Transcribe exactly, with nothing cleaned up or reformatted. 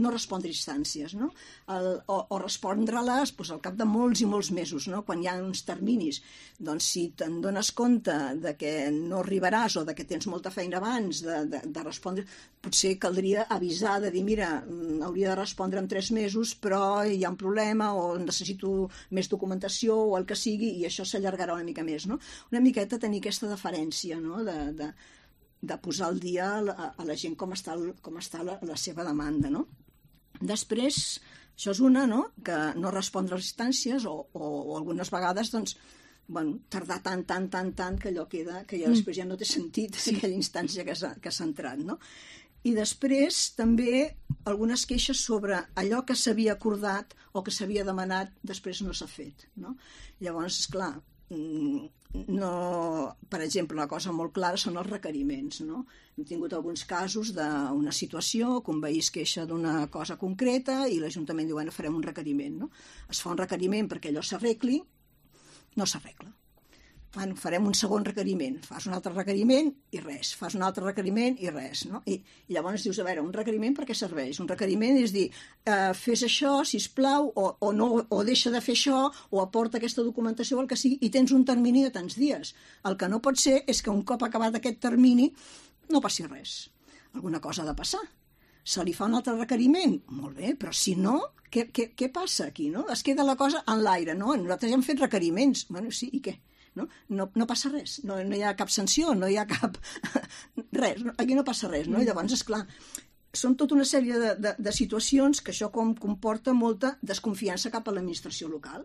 no respondre a instàncies, no? El, o, o respondre-les doncs, al cap de molts i molts mesos, no? Quan hi ha uns terminis. Doncs si te'n dones compte de que no arribaràs o de que tens molta feina abans de, de, de respondre, potser caldria avisar de dir, mira, hauria de respondre en tres mesos, però hi ha un problema o necessito més documentació o el que sigui, i això s'allargarà una mica més, no? Una miqueta tenir aquesta deferència, no? De, de, de posar al dia a, a la gent com està, com està la, la seva demanda, no? Després, això és una, no? Que no respondre a les instàncies o, o, o algunes vegades, doncs, bueno, tardar tant, tant, tant, tant, que allò queda, que ja després ja no té sentit sí. aquella instància que s'ha, que s'ha entrat, no? I després, també, algunes queixes sobre allò que s'havia acordat o que s'havia demanat, després no s'ha fet, no? Llavors, esclar, no, per exemple, una cosa molt clara són els requeriments, no? Hem tingut alguns casos d'una situació que un veí es queixa d'una cosa concreta i l'Ajuntament diu, bueno, farem un requeriment, no? Es fa un requeriment perquè allò s'arregli, no s'arregla. Bueno, farem un segon requeriment, fas un altre requeriment i res, fas un altre requeriment i res, no? I, i llavors dius, a veure, un requeriment per què serveix? Un requeriment és dir, eh, fes això, sisplau, o, o, no, o deixa de fer això, o aporta aquesta documentació o el que sigui, i tens un termini de tants dies. El que no pot ser és que un cop acabat aquest termini no passi res. Alguna cosa ha de passar. Se li fa un altre requeriment? Molt bé, però si no, què, què, què passa aquí, no? Es queda la cosa en l'aire, no? Nosaltres ja hem fet requeriments. Bueno, sí, i què? No? No, no passa res, no, no hi ha cap sanció, no hi ha cap... res, no? Aquí no passa res, no? I llavors, esclar, són tota una sèrie de, de, de situacions que això com comporta molta desconfiança cap a l'administració local.